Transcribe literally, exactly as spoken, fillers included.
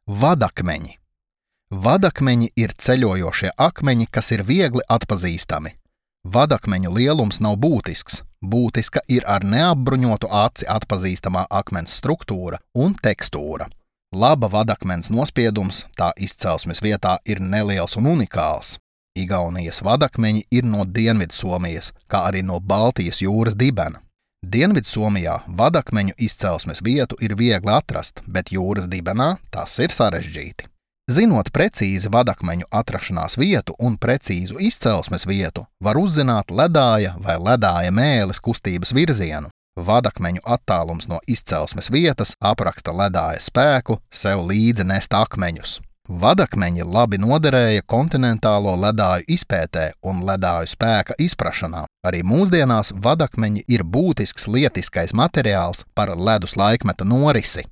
Vadakmeņi. Vadakmeņi ir ceļojošie akmeņi, kas ir viegli atpazīstami. Vadakmeņu lielums nav būtisks. Būtiska ir ar neapbruņotu aci atpazīstamā akmens struktūra un tekstūra. Laba vadakmens nospiedums tā izcelsmes vietā ir neliels un unikāls. Igaunijas vadakmeņi ir no Dienvidsomijas, kā arī no Baltijas jūras dibena. Dienvidsomijā vadakmeņu izcelsmes vietu ir viegli atrast, bet jūras dibenā tas ir sarežģīti. Zinot precīzi vadakmeņu atrašanās vietu un precīzu izcelsmes vietu, var uzzināt ledāja vai ledāja mēles kustības virzienu. Vadakmeņu attālums no izcelsmes vietas apraksta ledāja spēku sev līdzi nest akmeņus. Vadakmeņi labi noderēja kontinentālo ledāju izpētē un ledāju spēka izprašanā. Arī mūsdienās vadakmeņi ir būtisks lietiskais materiāls par ledus laikmeta norisi.